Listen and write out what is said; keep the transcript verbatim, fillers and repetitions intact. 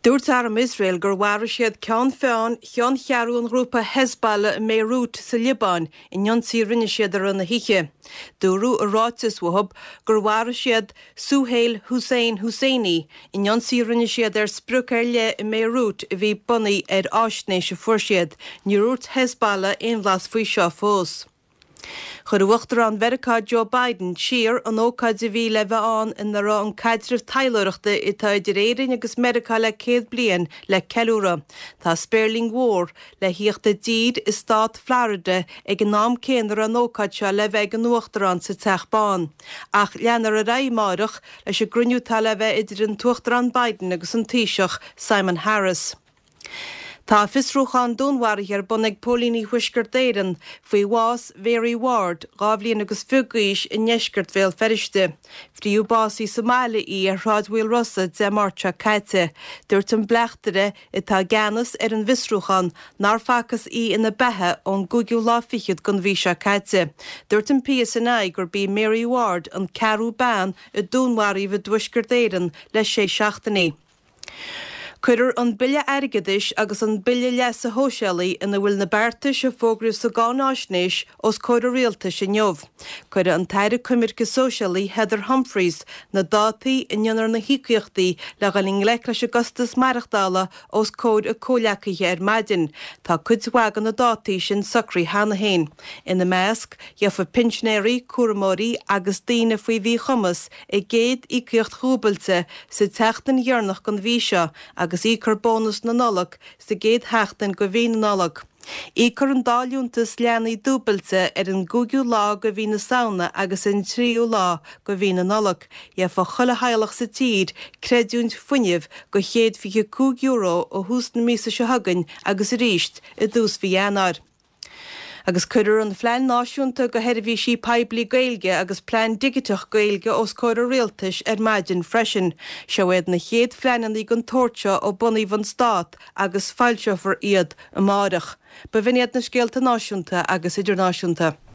Dúirt Arm Iosrael gur mharaigh siad ceann feadhain cheanncheathrú an ghrúpa Hezbollah i mBeirut sa Liobáin in ionsaí a rinne siad i rith na hoíche. Dúradh i ráiteas uathu gur mharaigh siad Suhail Hussein Husseini in ionsaí a rinne siad ar sprioc ar leith i mBeirut a bhí bunaithe ar fhaisnéis a fuair siad. Níor dhúirt Hezbollah aon bhlas faoi seo fós. Chuir Uachtarán Mheiriceá Joe Biden siar an ócáid a bhí le bheith ann ina raibh an caidreamh taidhleoireachta atá idir Éirinn agus Meiriceá le céad bliain le ceiliúradh. Tá spéirling mhór le theacht i dtír i stát Florida ag an am céanna a raibh an ócáid seo le bheith ag an Uachtarán sa Teach Bán. Ach leanfar ar aghaidh amárach leis an gcruinniú atá le bheith idir an tUachtarán Biden agus an Taoiseach Simon Harris. Tá fiosrúchán dúnmharaithe ar bun ag Póilíní Thuaisceart Éireann faoi bhás Mary Ward, dhá bhliain agus fiche d'aois i ndeisceart Bhéal Feirste. Fríothadh bás í sa mbaile í ar Shráid Mhaolrosa Dé Máirt seo caite. Dúirt an bleachtaire atá i gceannas ar an bhfiosrúchán nár facthas í ina beatha ón gcúigiú lá fichead den mhí seo caite. Dúirt an PSNI gurb í Mary Ward an ceathrú bean a dúnmharaíodh i dTuaisceart Éireann le sé seachtainí. Cuirfear an Bille Airgeadais agus an Bille Leasa Shóisialaigh ina bhfuil na beartais a fógraíodh sa gcáináisnéis os comhair an Rialtais inniu. Cuirfidh an tAire Coimirce Sóisialaí Heather Humphreys na dátaí a ndéanfar na híocaíochtaí le dhul i ngleic leis an gcostas maireachtála os comhair a comhghleacaithe ar maidin. Tá cuid mhaith de na dátaí sin socraithe cheana féin. Ina measc, gheobhaidh pinsinéirí, cúramóirí agus daoine faoi mhíchumas a gcéad íocaíocht dhúbailte sa tseachtain dheireanach den mhí seo agus íocfar bónas na Nollag sa gcéad sheachtain de mhí na Nollag. Íocfar an dá liúntas leanaí dúbailte ar an gcúigiú lá de mhí na Samhna agus an tríú lá de mhí na Nollag. Gheobhaidh chuile theaghlach sa tír creidiúint fuinnimh de chéad fiche cúig euro ó thús na míosa seo chugainn agus arís i dtús mhí Eanáir. Agus cuirfear an Phlean Náisiúnta do Sheirbhísí Poiblí Gaeilge agus Plean Digiteach Gaeilge os comhair an Rialtais ar maidin freisin. Seo iad na chéad phleananna den tsórt seo ó bunaíodh an stát agus foilseofar iad amárach. B'in iad na scéalta náisiúnta agus idirnáisiúnta.